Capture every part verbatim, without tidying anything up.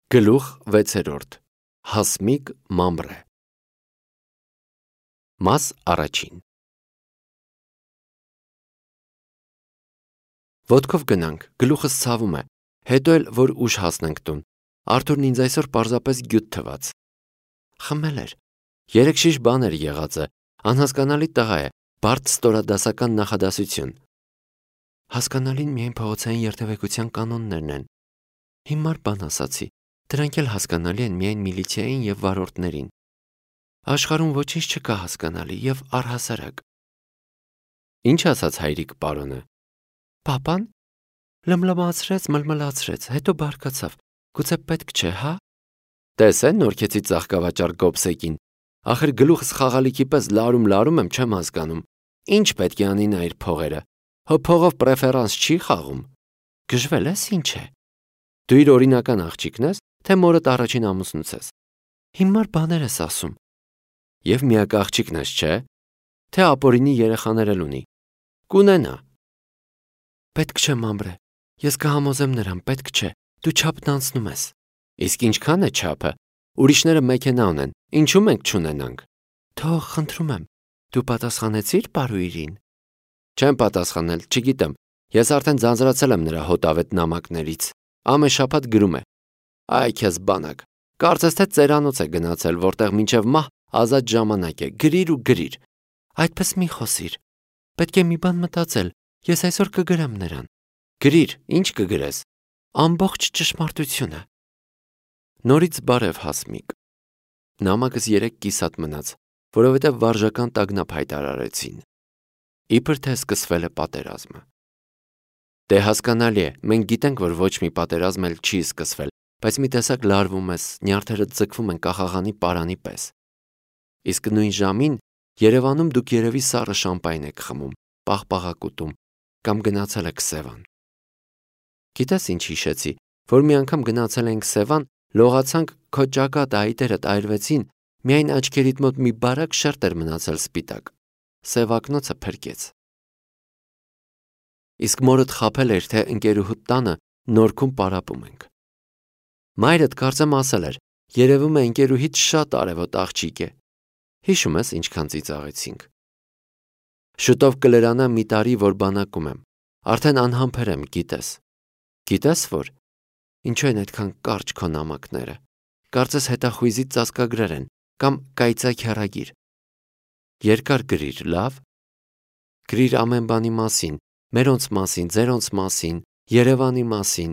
Գլուխ վեցերորդ. Հասմիկ Մամրե. Մաս առաջին. Ոտքով գնանք, գլուխս ցավում է, հետո էլ որ ուշ հասնենք տուն, Արթուրն ինձ այսօր պարզապես գյուտ թվաց, խմել էր, երեք շիշ բան էր եղածը, անհասկանալի տղա է, բարդ ստորադասական նախադասություն, հասկանալին միայն փողոցային երթևեկության կանոններն են, հիմար բան ասացի, դրանք էլ հասկանալի են միայն միլիցիային և վարորդներին, աշխարհում ոչինչ չկա հասկանալի և առհասարակ, ինչ ասաց հայրիկ պարոնը, պապան, լմլմացրեց, մլմլացրեց, հետո բարկացավ, գուցե պետք չէ, հա, տես է նորքեցի ծաղկավաճառ գոբսեկին, ախր գլուխս խաղալիքի պես լարում-լարում եմ, չեմ հասկանում, ինչ պետք է անի նա իր փողերը, հո փողով պրեֆերանս չի խաղում, գժվել ես ինչ է, դու իր օրինական աղջիկն ես, թե մորդ առաջին ամուսնուց ես, հիմար բաներ ես ասում, և միակ աղջիկն ես, չէ, թե ապօրինի երեխաներ էլ ունի, կունենա, պետք չէ Մամրե, ես կհամոզեմ նրան, պետք չէ, դու չափն անցնում ես, իսկ ինչքան է չափը, ուրիշները մեքենա ունեն, ինչու մենք չունենանք, թող, խնդրում եմ, դու պատասխանեցիր պարուհին, չեմ պատասխանել, չգիտեմ, ես արդեն ձանձրացել եմ նրա հոտավետ նամակներից, ամեն շաբաթ գրում է, այ քեզ բանակ, կարծես թե ծերանոց է գնացել, որտեղ մինչև մահ ազատ ժամանակ է, գրիր ու գրիր, այդպես մի խոսիր, պետք է մի բան մտածել, ես այսօր կգրեմ նրան, գրիր, ինչ կգրես, ամբողջ ճշմարտությունը, նորից բարև Հասմիկ, նամակս երեք կիսատ մնաց, որովհետև վարժական տագնապ հայտարարեցին, իբր թե սկսվել է պատերազմը, դե հասկանալի է, մենք գիտենք, որ ոչ մի պատերազմ էլ չի սկսվել, բայց մի տեսակ լարվում ես, նյարդերը ձգվում են կախաղանի պարանի պես, իսկ նույն ժամին Երևանում դուք երևի սառը շամպայն եք խմում, պաղպաղակուտում, կամ գնացել եք Սևան, գիտես ինչ հիշեցի, որ մի անգամ գնացել ենք Սևան, լողացանք, քո ճակատը այտերդ այրվեցին, միայն աչքերիդ մոտ մի բարակ շերտ էր մնացել սպիտակ, սևակնոցը փրկեց, իսկ մորդ խաբել էր, թե ընկերուհուդ տանը Նորքում պարապում ենք, մայրդ կարծեմ ասել էր, երևում է ընկերուհիդ շատ արևոտ աղջիկ է, հիշում ես ինչքան ծիծաղեցինք, շուտով կլրանա մի տարի, որ բանակում եմ, արդեն անհամբեր եմ, գիտես, գիտես որ, ինչու են այդքան կարճ քո նամակները, կարծես հետախույզի ծածկագրեր են, կամ կայծակ հեռագիր, երկար գրիր, լավ, գրիր ամեն բանի մասին, մերոնց մասին, ձերոնց մասին, Երևանի մասին,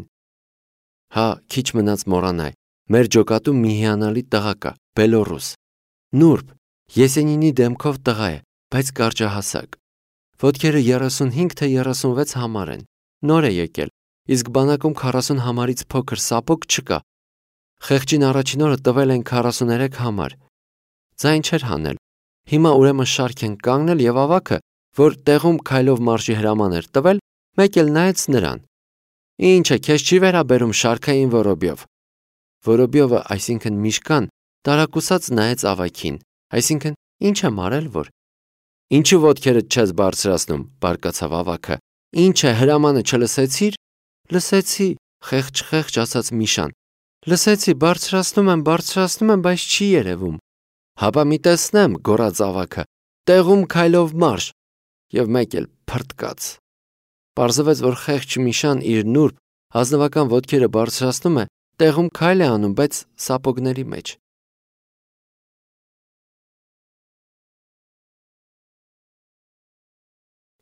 հա, քիչ մնաց մոռանայ, մեր ջոկատում մի հիանալի տղա կա, Բելորուս, նուրբ, Եսենինի դեմքով տղա է, բայց կարճահասակ, ոտքերը երեսունհինգ թե երեսունվեց համար են, նոր է եկել, իսկ բանակում քառասուն համարից փոքր սապոկ չկա, խեղճին առաջին օրը տվել են քառասուներեք համար, ձայն չէր հանել, հիմա ուրեմն շարք են կանգնել և ավագը, որ տեղում քայլով մարշի հրաման էր տվել, մեկ էլ նայեց նրան, ինչ է, քեզ չի վերաբերում շարքային Որոբյով, Որոբյովը, այսինքն Միշկան, տարակուսած նայեց ավագին, այսինքն ինչ եմ արել, որ, ինչու ոտքերդ չես բարձրացնում, բարկացավ ավագը, ինչ է, հրամանը չլսեցիր, լսեցի, խեղճ-խեղճ ասաց Միշան, լսեցի, բարձրացնում եմ, բարձրացնում եմ, բայց չի երևում, հապա մի տեսնեմ, գոռաց ավագը, տեղում քայլով մարշ, և մեկ էլ փռթկաց, պարզվեց, որ խեղճ Միշան իր նուրբ, ազնվական ոտքերը բարձրացնում է, տեղում քայլ է անում, բայց սապոգների մեջ,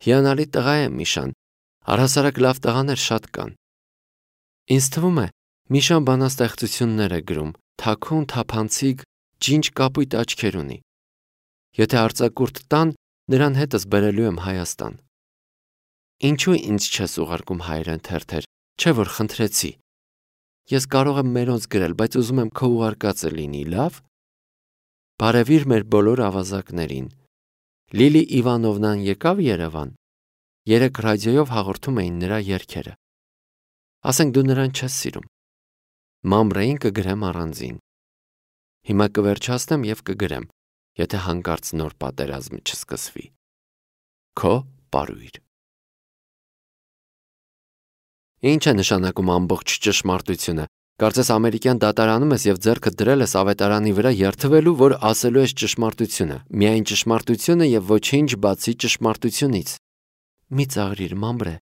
հիանալի տղա է Միշան, առհասարակ լավ տղաներ շատ կան, ինձ թվում է, Միշան բանաստեղծություններ է գրում, թաքուն, թափանցիկ, ջինջ կապույտ աչքեր ունի, եթե արձակուրդ տան, նրան հետս բերելու եմ Հայաստան, ինչու ինձ չես ուղարկում հայերեն թերթեր, չէ որ խնդրեցի, ես կարող եմ մերոնց գրել, բայց ուզում եմ քո ուղարկածը լինի, լավ, բարևիր մեր բոլոր ավազակներին, Լիլի Իվանովնան եկավ Երևան, երեկ ռադիոյով հաղորդում էին նրա երգերը, ասենք դու նրան չես սիրում, Մամրեին կգրեմ առանձին, հիմա կվերջացնեմ և կգրեմ, եթե հանկարծ նոր պատերազմ չսկսվի, քո պարույր, ինչ է նշանակում ամբողջ ճշմարտությունը, Կարծես ամերիկյան դատարանում ես եւ ձեռքդ դրել ես ավետարանի վրա երթվելու, որ ասելու ես ճշմարտությունը, միայն ճշմարտությունը եւ ոչինչ բացի ճշմարտությունից։ Մի ծաղրիր, մամբրե,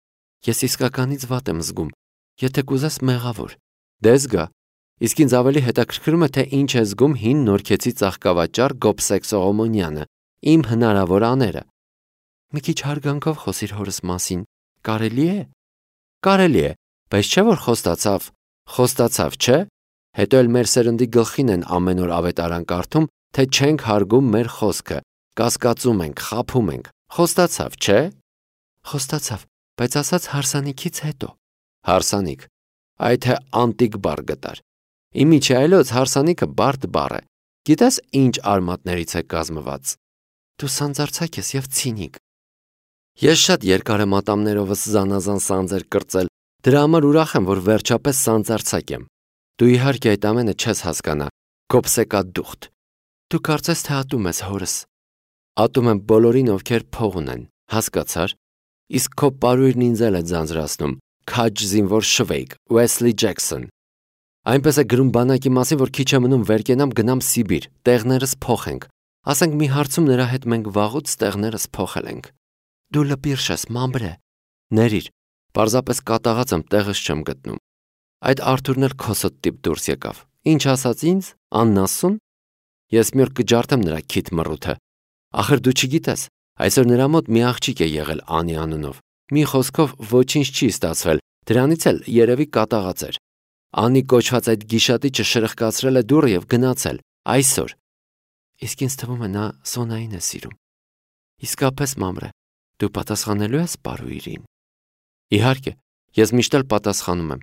ես իսկականից վատ եմ զգում, եթե կուզես մեղավոր։ Դες գա, իսկ ինձ ավելի հետաքրքրում է, թե ինչ է զգում հին նորքեցի ծաղկավաճառ Գոբսեկ Սողոմոնյանը, իմ հնարավոր աները։ Մի քիչ հարգանքով խոսիր հորս մասին, կարելի է։ Կարելի է, բայց չէ որ խոստացավ, խոստացավ, չէ։ Հետո էլ մեր սերնդի գլխին են ամեն օր ավետարան կարդում, թե չենք հարգում մեր խոսքը, կասկածում ենք, խաբում ենք։ Խոստացավ, չէ։ Խոստացավ, բայց ասաց հարսանիքից հետո։ Հարսանիք, այ թե անտիկ բառ գտար։ Իմիջիայլոց հարսանիքը բարդ բառ է։ Գիտես ինչ արմատներից է կազմված։ Դու սանձարցակ ես եւ ցինիկ։ Ես շատ երկար եմ ատամներովս զանազան սանձեր կրծել, դրա համար ուրախ եմ, որ վերջապես սանձարցակ եմ։ Դու իհարկե այդ ամենը չես հասկանա, Գոբսեկադուխտ։ Դու կարծես թե ատում ես հորս։ Ատում եմ բոլորին, ովքեր փող ունեն, հասկացար։ Իսկ քո պարույրն ինձ էլ է ձանձրացնում, քաջ զինվոր Շվեյք, Ուեսլի Ջեքսոն։ Այնպես է գրում բանակի մասին, որ քիչ է մնում վեր կենամ գնամ Սիբիր, տեղներս փոխենք։ Ասենք մի հարցում նրա հետ մենք վաղուց տեղներս փոխել ենք։ Դու լպիրշ ես, մամբրե։ Ներիր, պարզապես կատաղած եմ, տեղս չեմ գտնում։ Այդ Արթուրն էլ քոսոտ տիպ դուրս եկավ։ Ինչ ասաց ինձ, աննասուն։ Ես մի օր կջարդեմ նրա քիթ մռութը։ Ախր դու չգիտես, այսօր նրա մոտ մի աղջիկ է եղել Անի անունով։ Մի խոսքով ոչինչ չի ստացվել, դրանից էլ երևի կատաղած էր։ Անի կոչված այդ գիշատիչը շրխկացրել է դուռը եւ գնացել, այսօր։ Իսկ ինձ թվում է նա Սոնային է սիրում։ Իսկապես, մամրե, դու պատասխանելու ես պարույրին։ Իհարկե, ես միշտ էլ պատասխանում եմ։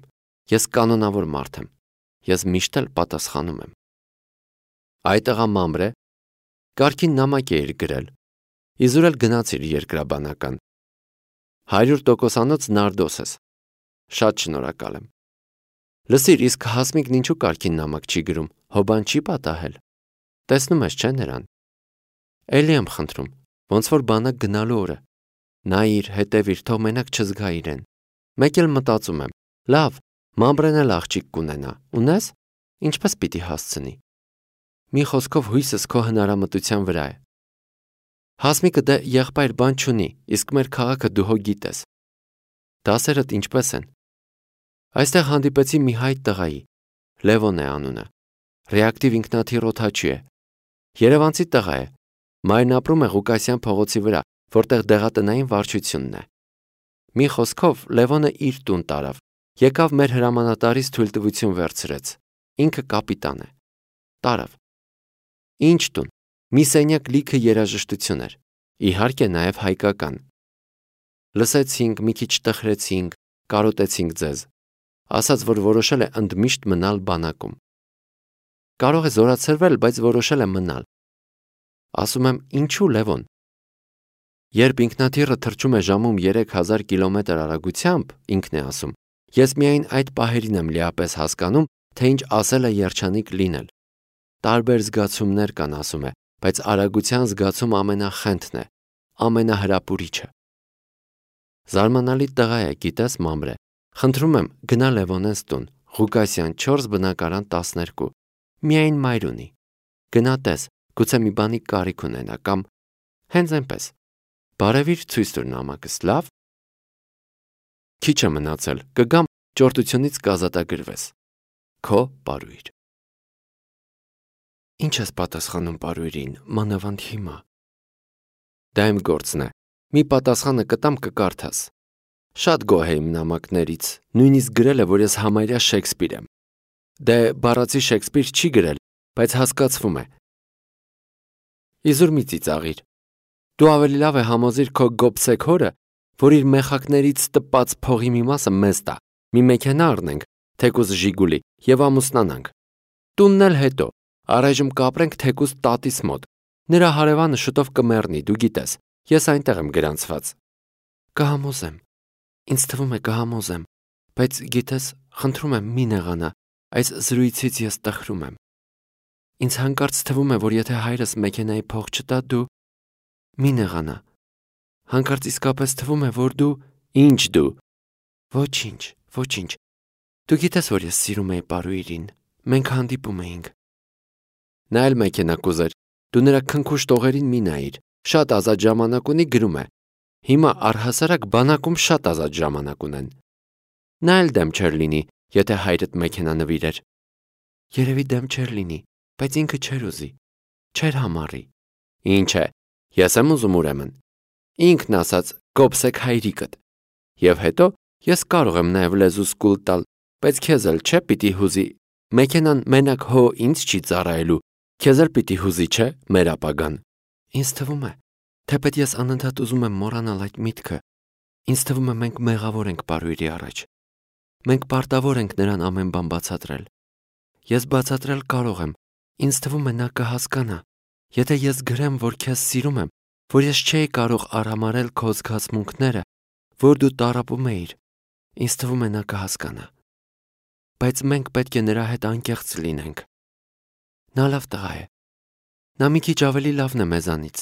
Ես կանոնավոր մարդ եմ։ Ես միշտ էլ պատասխանում եմ։ Այդ աղա մամրե, կարգին նամակ է իր գրել։ Իզուր էլ գնացիր երկրաբանական։ Հարյուր տոկոսանոց նարդոս ես։ Շատ շնորհակալ եմ։ Լսիր, իսկ Հասմիկն ինչու կարգին նամակ չի գրում, հոբան չի պատահել։ Տեսնում ես, չէ՞ նրան։ Էլի եմ խնդրում, ոնց որ բանակ գնալու օրը։ Նայիր, հետևիր, թող մենակ չզգա իրեն։ Մեկ էլ մտածում եմ, լավ, մամբրեն էլ աղջիկ կունենա, ունես, ինչպես պիտի հասցնի։ Մի խոսքով հույսս քո հնարամտության վրա է։ Հասմիկը դե եղբայր բան չունի, իսկ մեր քաղաքը դու հո գիտես։ Դասերդ ինչպես են։ Այստեղ հանդիպեցի մի հայտ տղայի, Լևոն է անունը, ռեակտիվ ինքնաթիռ օդաչի է, երևանցի տղա է, մայրն ապրում է Ղուկասյան փողոցի վրա, որտեղ դեղատնային վարչությունն է։ Մի խոսքով Լևոնը իր տուն տարավ, եկավ մեր հրամանատարից թույլտվություն վերցրեց, ինքը կապիտան է, տարավ։ Ինչ տուն, մի սենյակ լիքը երաժշտություն էր, իհարկե նաև հայկական։ Լսեցինք, մի քիչ տխրեցինք, կարոտեցինք ձեզ, ասաց, որ որոշել է ընդմիշտ մնալ բանակում։ Կարող է զորացրվել, բայց որոշել է մնալ։ Ասում եմ, ինչու Լևոն։ Երբ ինքնաթիռը թռչում է ժամում երեք հազար կիլոմետր արագությամբ, ինքն է ասում, ես միայն այդ պահերին եմ լիապես հասկանում, թե ինչ ասել է երջանիկ լինել։ Տարբեր զգացումներ կան, ասում է, բայց արագության զգացում ամենախենթն է, ամենահրապուրիչը։ Զարմանալի տղա է, գիտես, մամրե, խնդրում եմ, գնա Լևոնենց տուն, Ղուկասյան չորս բնակարան տասներկու, միայն մայր ունի։ Գնա տես, գուցե մի բանի կարիք ունենա կամ հենց այնպես։ Բարևիր ցույց տուր նամակս, լավ։ Քիչ է մնացել, կգամ ճորտությունից կազատագրվես։ Քո պարույր։ Ինչ ես պատասխանում պարույրին, մանավանդ հիմա։ Դա իմ գործն է։ Մի պատասխանը կտամ կկարդաս։ Շատ գոհ եմ նամակներից, նույնիսկ գրել է, որ ես համարյա Շեքսպիր եմ։ Դե բառացի Շեքսպիր չի գրել, բայց հասկացվում է։ Իզուր մի ծիծաղիր։ Դու ավելի լավ է համոզիր քո Գոբսեկ հորը, որ իր մեխակներից տպած փողի մի մասը մեզ տա, մի մեքենա առնենք, թեկուզ Ժիգուլի, եւ ամուսնանանք։ Տունն էլ հետո, առայժմ կապրենք թեկուզ տատիս մոտ։ Նրա հարևանը շուտով կմեռնի, դու գիտես, ես այնտեղ եմ գրանցված։ Կհամոզեմ։ Ինձ թվում է կհամոզեմ, բայց գիտես, խնդրում եմ մի նեղանա, այս զրույցից ես տխրում եմ։ Ինձ հանկարծ թվում է, որ եթե հայրս մեքենայի փող չտա, դու մի նեղանա։ Հանկարծ իսկապես թվում է, որ դու ինչ դու։ Ոչինչ, ոչինչ։ Դու գիտես, որ ես սիրում էի Պարույրին, մենք հանդիպում էինք։ Նա էլ մեքենա կուզեր, դու նրա քնքուշ տողերին մի նայիր, շատ ազատ ժամանակ ունի, գրում է։ Հիմա առհասարակ բանակում շատ ազատ ժամանակ ունեն։ Նա էլ դեմ չէր լինի, եթե հայրդ մեքենա նվիրեր։ Երևի դեմ չէր լինի, բայց ինքը չէր ուզի, չէր համառի։ Ինչ է, ես եմ ուզում ուրեմն։ Ինքն ասաց կոպսեք հայրիկդ։ Եվ հետո ես կարող եմ նաև լեզուս կուլ տալ, բայց քեզ էլ չէ պիտի հուզի։ Մեքենան մենակ հո ինձ չի ծառայելու, քեզ էլ պիտի հուզի, չէ, մեր ապագան։ Ինձ թվում է, թեպետ ես անընդհատ ուզում եմ մոռանալ այդ միտքը, ինձ թվում է մենք մեղավոր ենք Պարույրի առաջ։ Մենք պարտավոր ենք նրան ամեն բան բացատրել։ Ես բացատրել կարող եմ, ինձ թվում է նա կհասկանա։ Եթե ես գրեմ, որ քեզ սիրում եմ, որ ես չէի կարող արհամարհել քո զգացմունքները, որ դու տառապում էիր, ինձ թվում է նա կհասկանա։ Բայց մենք պետք է նրա հետ անկեղծ լինենք։ Նա լավ տղա է։ Նա մի քիչ ավելի լավն է մեզանից։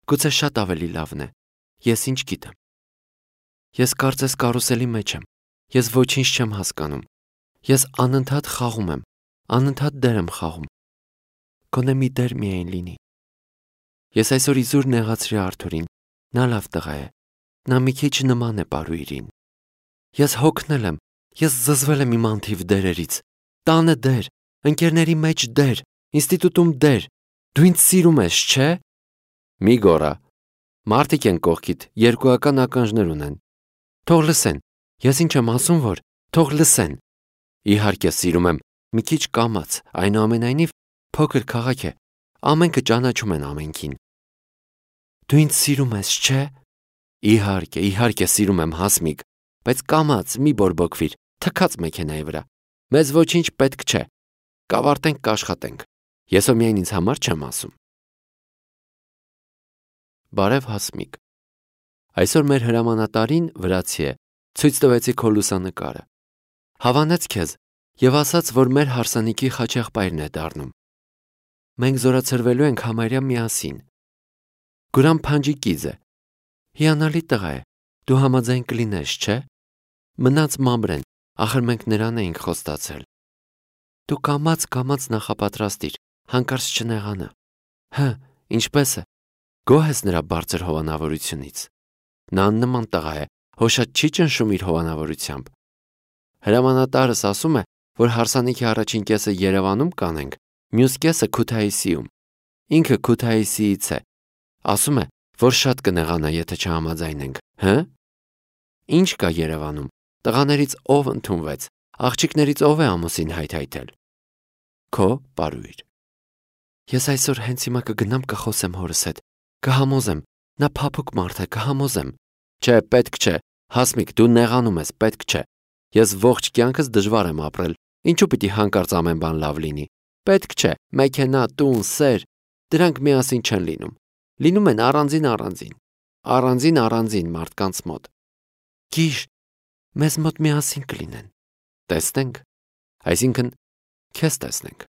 Գուցե շատ ավելի լավն է։ Ես ինչ գիտեմ։ Ես կարծես կարուսելի մեջ եմ։ Ես ոչինչ չեմ հասկանում։ Ես անընդհատ խաղում եմ, անընդհատ դեր եմ խաղում։ Գոնե մի դեր միայն լինի։ Ես այսօր իզուր նեղացրի Արթուրին։ Նա լավ տղա է։ Նա մի քիչ նման է Պարույրին։ Ես հոգնել եմ, ես զզվել եմ իմ անթիվ դերերից։ Տանը դեր, ընկերների մեջ դեր, ինստիտուտում դեր։ Դու ինձ սիրում ես, չէ՞։ Մի գոռա։ Մարդիկ են կողքիդ, երկուական ականջներ ունեն։ Թող լսեն։ Ես ինչ եմ ասում, որ թող լսեն։ Իհարկե սիրում եմ, մի քիչ կամաց, այնուամենայնիվ փոքր քաղաք է։ Ամենքը ճանաչում են ամենքին։ Դու ինձ սիրում ես, չէ՞։ Իհարկե, իհարկե սիրում եմ, Հասմիկ, բայց կամաց, մի բորբոքվիր, թքած մեքենայի վրա։ Մեզ ոչինչ պետք չէ։ Կավարտենք, կաշխատենք։ Ես ո միայն ինձ համար չեմ ասում։ Բարև Հասմիկ։ Այսօր մեր հրամանատարին վրացի է, ցույց տվեցի քո լուսանկարը։ Հավանեց քեզ եւ ասաց, որ մեր հարսանիքի խաչեղբայրն է դառնում։ Մենք զորացրվելու ենք համարյա միասին։ Գուրամ Փանջիկիձ է։ Հիանալի տղա է։ Դու համաձայն կլինես, չէ՞։ Մնաց Մամրեն, ախր մենք նրան էինք խոստացել։ Դու կամաց-կամաց նախապատրաստիր, հանկարծ չնեղանա։ Հը, ինչպես է։ Գոհ ես նրա բարձր հովանավորությունից։ Նա աննման տղա է, հո շատ չի ճնշում իր հովանավորությամբ։ Հրամանատարս ասում է, որ հարսանիքի առաջին կեսը Երևանում կանենք, մյուս կեսը Քութայիսիում։ Ինքը Քութայիսիից է։ Ասում է, որ շատ կնեղանա, եթե չհամաձայնենք, հը։ Ինչ կա Երևանում։ Տղաներից ով ընդունվեց, աղջիկներից ով է ամուսին հայթայթել։ Քո Պարույր։ Ես այսօր հենց հիմա կգնամ կխոսեմ հորս հետ, կհամոզեմ, նա փափուկ մարդ է, կհամոզեմ։ Չէ, պետք չէ, Հասմիկ, դու նեղանում ես, պետք չէ։ Ես ողջ կյանքս դժվար եմ ապրել, ինչու պիտի հանկարծ ամեն բան լավ լինի։ Պետք չէ, մեքենա, տուն, սեր, դրանք միասին չեն լինում։ Լինում են առանձին-առանձին, առանձին-առանձին մարդկանց մոտ։ Գիշ, մեզ մոտ միասին կլինեն։ Տեսնենք, այսինքն քեզ տեսնենք։